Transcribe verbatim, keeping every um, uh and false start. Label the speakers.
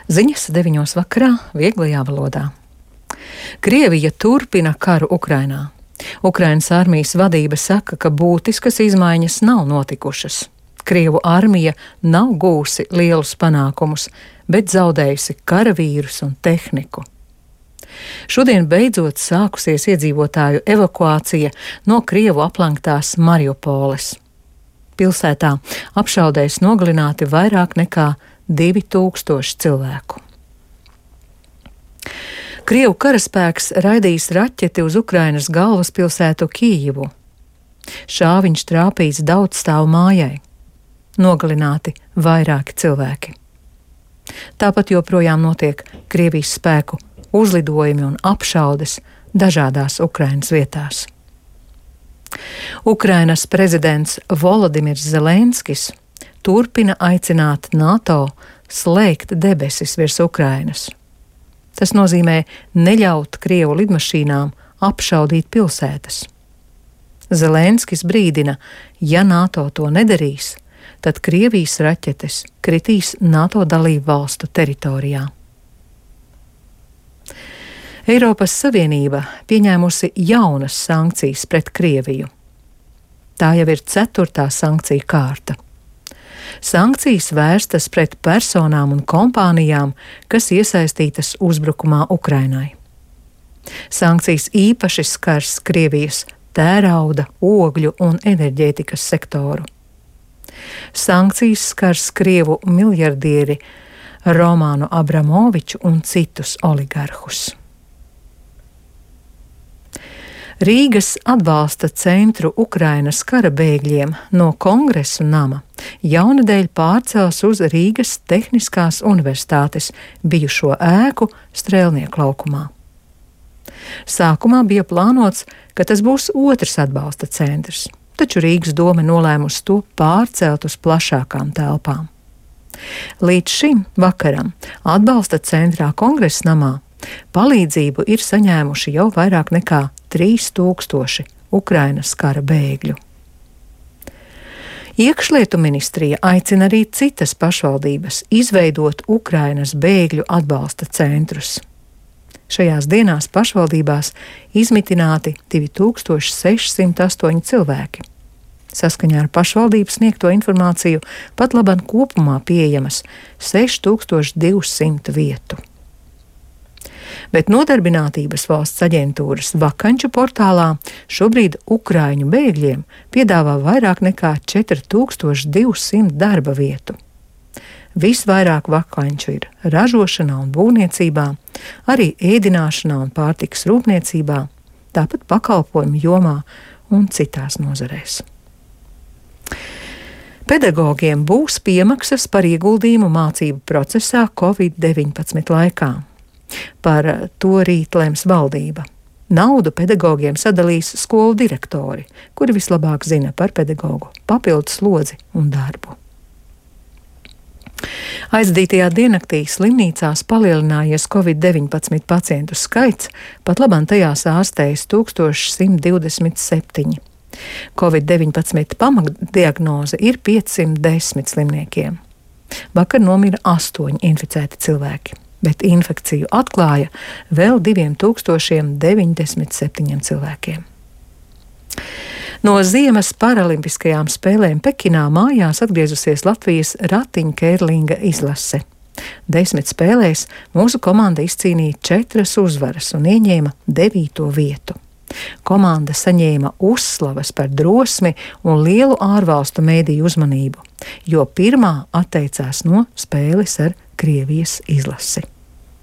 Speaker 1: Ziņas deviņos vakarā vieglajā valodā. Krievija turpina karu Ukrainā. Ukrainas armijas vadība saka, ka būtiskas izmaiņas nav notikušas. Krievu armija nav gūsi lielus panākumus, bet zaudējusi karavīrus un tehniku. Šodien beidzot sākusies iedzīvotāju evakuācija no Krievu aplenktās Mariupoles. Pilsētā apšaudēs nogalināti vairāk nekā divi tūkstoši cilvēku. Krievu karaspēks raidījis raķeti uz Ukrainas galvaspilsētu Kijivu. Šāviņš trāpījis daudzstāvu mājai. Nogalināti vairāki cilvēki. Tāpat joprojām notiek Krievijas spēku uzlidojumi un apšaudes dažādās Ukrainas vietās. Ukrainas prezidents Volodimirs Zelenskis turpina aicināt NATO slēgt debesis virs Ukrainas. Tas nozīmē neļaut Krievu lidmašīnām apšaudīt pilsētas. Zelenskis brīdina, ja NATO to nedarīs, tad Krievijas raķetes kritīs NATO dalību valstu teritorijā. Eiropas Savienība pieņēmusi jaunas sankcijas pret Krieviju. Tā jau ir ceturtā sankcija kārta. Sankcijas vērstas pret personām un kompānijām, kas iesaistītas uzbrukumā Ukrainai. Sankcijas īpaši skars Krievijas tērauda, ogļu un enerģētikas sektoru. Sankcijas skars Krievu miljardieri Romānu Abramoviču un citus oligarhus. Rīgas atbalsta centru Ukrainas kara bēgļiem no Kongresu nama jaunadēļ pārcels uz Rīgas Tehniskās universitātes bijušo ēku Strēlnieku laukumā. Sākumā bija plānots, ka tas būs otrs atbalsta centrs, taču Rīgas doma nolēmusi to pārcelt uz plašākām telpām. Līdz šim vakaram atbalsta centrā Kongresa namā palīdzību ir saņēmuši jau vairāk nekā trīs tūkstoši Ukrainas kara bēgļu. Iekšlietu ministrija aicina arī citas pašvaldības izveidot Ukrainas bēgļu atbalsta centrus. Šajās dienās pašvaldībās izmitināti divi tūkstoši sešsimt astoņi cilvēki. Saskaņā ar pašvaldības sniegto informāciju pat labam kopumā pieejamas seši tūkstoši divsimt vietu. Bet Nodarbinātības valsts aģentūras vakanču portālā šobrīd ukraiņu bēgļiem piedāvā vairāk nekā četri tūkstoši divsimt darba vietu. Visvairāk vakanču ir ražošanā un būvniecībā, arī ēdināšanā un pārtikas rūpniecībā, tāpat pakalpojumu jomā un citās nozarēs. Pedagogiem būs piemaksas par ieguldījumu mācību procesā covid deviņpadsmit laikā. Par to rīt lems valdība. Naudu pedagogiem sadalīs skolu direktori, kuri vislabāk zina par pedagogu papildus slodzi un darbu. Aizdītajā diennaktī slimnīcās palielinājies covid deviņpadsmit pacientu skaits, pat labam tajās ārstējas tūkstoš simt divdesmit septiņi. covid deviņpadsmit pamatdiagnoze ir piecsimt desmit slimniekiem. Vakar nomira astoņi inficēti cilvēki, bet infekciju atklāja vēl diviem tūkstošiem deviņdesmit septiņiem cilvēkiem. No ziemas paralimpiskajām spēlēm Pekinā mājās atgriezusies Latvijas ratiņkērlinga izlase. Desmit spēlēs mūsu komanda izcīnīja četras uzvaras un ieņēma devīto vietu. Komanda saņēma uzslavas par drosmi un lielu ārvalstu mēdīju uzmanību, jo pirmā atteicās no spēles ar Krievijas izlasi.